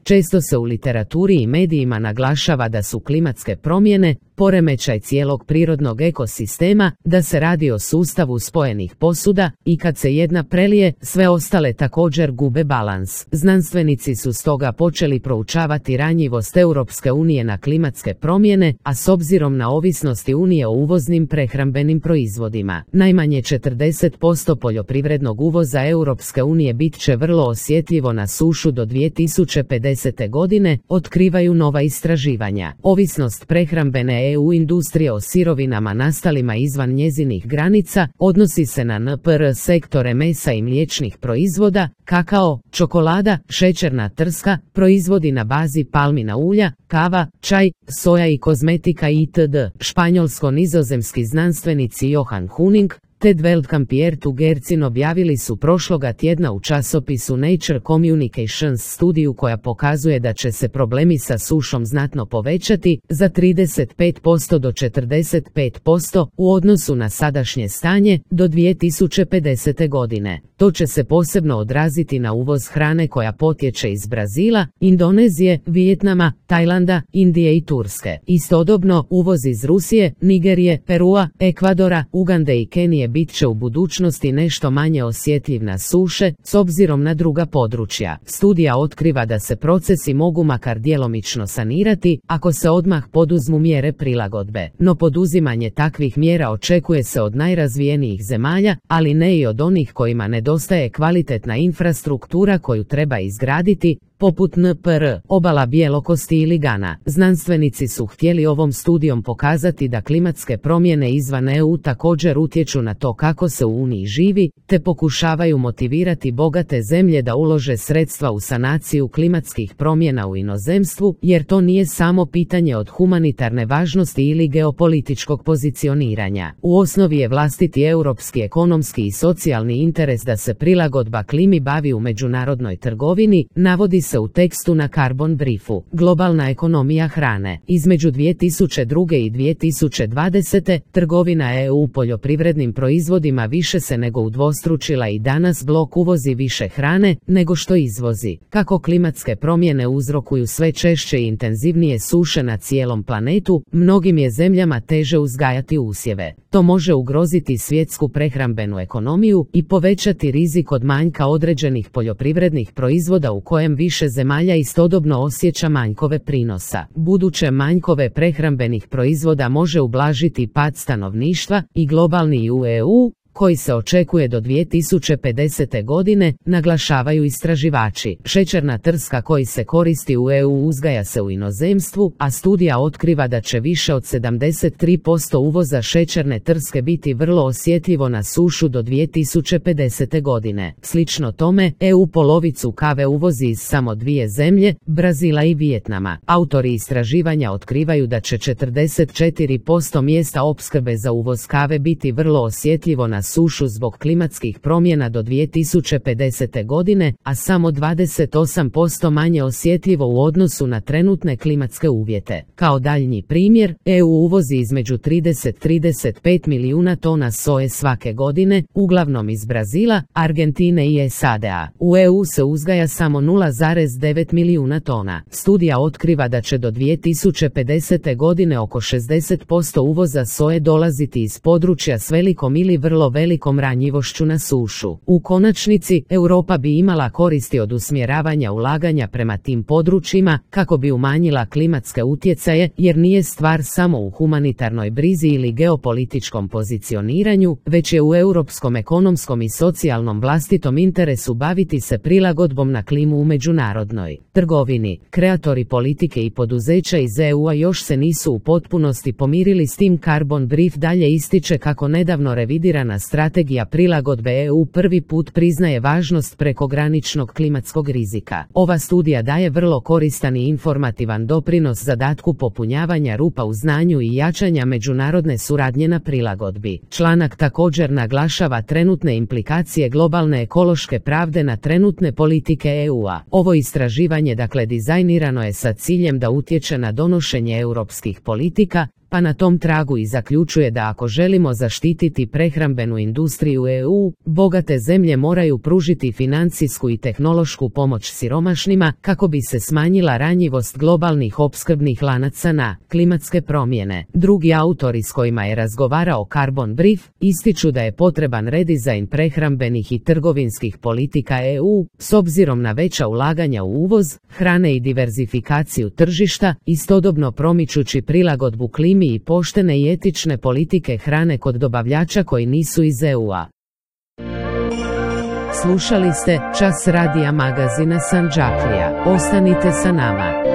Često se u literaturi i medijima naglašava da su klimatske promjene poremećaj cijelog prirodnog ekosistema, da se radi o sustavu spojenih posuda i kad se jedna prelije, sve ostale također gube balans. Znanstvenici su stoga počeli proučavati ranjivost Europske unije na klimatske promjene, a s obzirom na ovisnosti Unije o uvoznim prehrambenim proizvodima. Najmanje 40% poljoprivrednog uvoza Europske unije bit će vrlo osjetljivo na sušu do 2050. godine, otkrivaju nova istraživanja. Ovisnost prehrambene EU industrije o sirovinama nastalima izvan njezinih granica odnosi se na NPR sektore mesa i mliječnih proizvoda, kakao, čokolada, šećerna trska, proizvodi na bazi palmina ulja, kava, čaj, soja i kozmetika itd. Španjolsko-nizozemski znanstvenici Johan Huning, Ted Veldkamp i Gercin objavili su prošloga tjedna u časopisu Nature Communications studiju koja pokazuje da će se problemi sa sušom znatno povećati za 35% do 45% u odnosu na sadašnje stanje do 2050. godine. To će se posebno odraziti na uvoz hrane koja potječe iz Brazila, Indonezije, Vijetnama, Tajlanda, Indije i Turske. Istodobno, uvoz iz Rusije, Nigerije, Perua, Ekvadora, Ugande i Kenije bit će u budućnosti nešto manje osjetljiv na suše, s obzirom na druga područja. Studija otkriva da se procesi mogu makar djelomično sanirati, ako se odmah poduzmu mjere prilagodbe. No poduzimanje takvih mjera očekuje se od najrazvijenijih zemalja, ali ne i od onih kojima nedostaje kvalitetna infrastruktura koju treba izgraditi, poput NPR, obala Bjelokosti ili Gana. Znanstvenici su htjeli ovom studijom pokazati da klimatske promjene izvan EU također utječu na to kako se u Uniji živi, te pokušavaju motivirati bogate zemlje da ulože sredstva u sanaciju klimatskih promjena u inozemstvu, jer to nije samo pitanje od humanitarne važnosti ili geopolitičkog pozicioniranja. U osnovi je vlastiti europski ekonomski i socijalni interes da se prilagodba klimi bavi u međunarodnoj trgovini, navodi se u tekstu na Carbon Briefu. Globalna ekonomija hrane. Između 2002. i 2020. trgovina EU poljoprivrednim proizvodima više se nego udvostručila i danas blok uvozi više hrane nego što izvozi. Kako klimatske promjene uzrokuju sve češće i intenzivnije suše na cijelom planetu, mnogim je zemljama teže uzgajati usjeve. To može ugroziti svjetsku prehrambenu ekonomiju i povećati rizik od manjka određenih poljoprivrednih proizvoda u kojem više zemalja istodobno osjeća manjkove prinosa. Buduće manjkove prehrambenih proizvoda može ublažiti pad stanovništva i globalni u EU, koji se očekuje do 2050. godine, naglašavaju istraživači. Šećerna trska koji se koristi u EU uzgaja se u inozemstvu, a studija otkriva da će više od 73% uvoza šećerne trske biti vrlo osjetljivo na sušu do 2050. godine. Slično tome, EU polovicu kave uvozi iz samo dvije zemlje, Brazila i Vijetnama. Autori istraživanja otkrivaju da će 44% mjesta opskrbe za uvoz kave biti vrlo osjetljivo na sušu zbog klimatskih promjena do 2050. godine, a samo 28% manje osjetljivo u odnosu na trenutne klimatske uvjete. Kao daljnji primjer, EU uvozi između 30-35 milijuna tona soje svake godine, uglavnom iz Brazila, Argentine i SAD-a. U EU se uzgaja samo 0,9 milijuna tona. Studija otkriva da će do 2050. godine oko 60% uvoza soje dolaziti iz područja s velikom ili vrlo velikom ranjivošću na sušu. U konačnici, Europa bi imala koristi od usmjeravanja ulaganja prema tim područjima kako bi umanjila klimatske utjecaje, jer nije stvar samo u humanitarnoj brizi ili geopolitičkom pozicioniranju, već je u europskom ekonomskom i socijalnom vlastitom interesu baviti se prilagodbom na klimu u međunarodnoj trgovini. Kreatori politike i poduzeća iz EU-a još se nisu u potpunosti pomirili s tim. Carbon Brief dalje ističe kako nedavno revidirana strategija prilagodbe EU prvi put priznaje važnost prekograničnog klimatskog rizika. Ova studija daje vrlo koristan i informativan doprinos zadatku popunjavanja rupa u znanju i jačanja međunarodne suradnje na prilagodbi. Članak također naglašava trenutne implikacije globalne ekološke pravde na trenutne politike EU-a. Ovo istraživanje dizajnirano je sa ciljem da utječe na donošenje europskih politika, pa na tom tragu i zaključuje da ako želimo zaštititi prehrambenu industriju EU, bogate zemlje moraju pružiti financijsku i tehnološku pomoć siromašnima kako bi se smanjila ranjivost globalnih opskrbnih lanaca na klimatske promjene. Drugi autori s kojima je razgovarao Carbon Brief ističu da je potreban redizajn prehrambenih i trgovinskih politika EU s obzirom na veća ulaganja u uvoz hrane i diverzifikaciju tržišta, istodobno promičući prilagodbu klimi i poštene i etične politike hrane kod dobavljača koji nisu iz EU-a. Slušali ste Čas radija magazina Sandžaklija. Ostanite sa nama.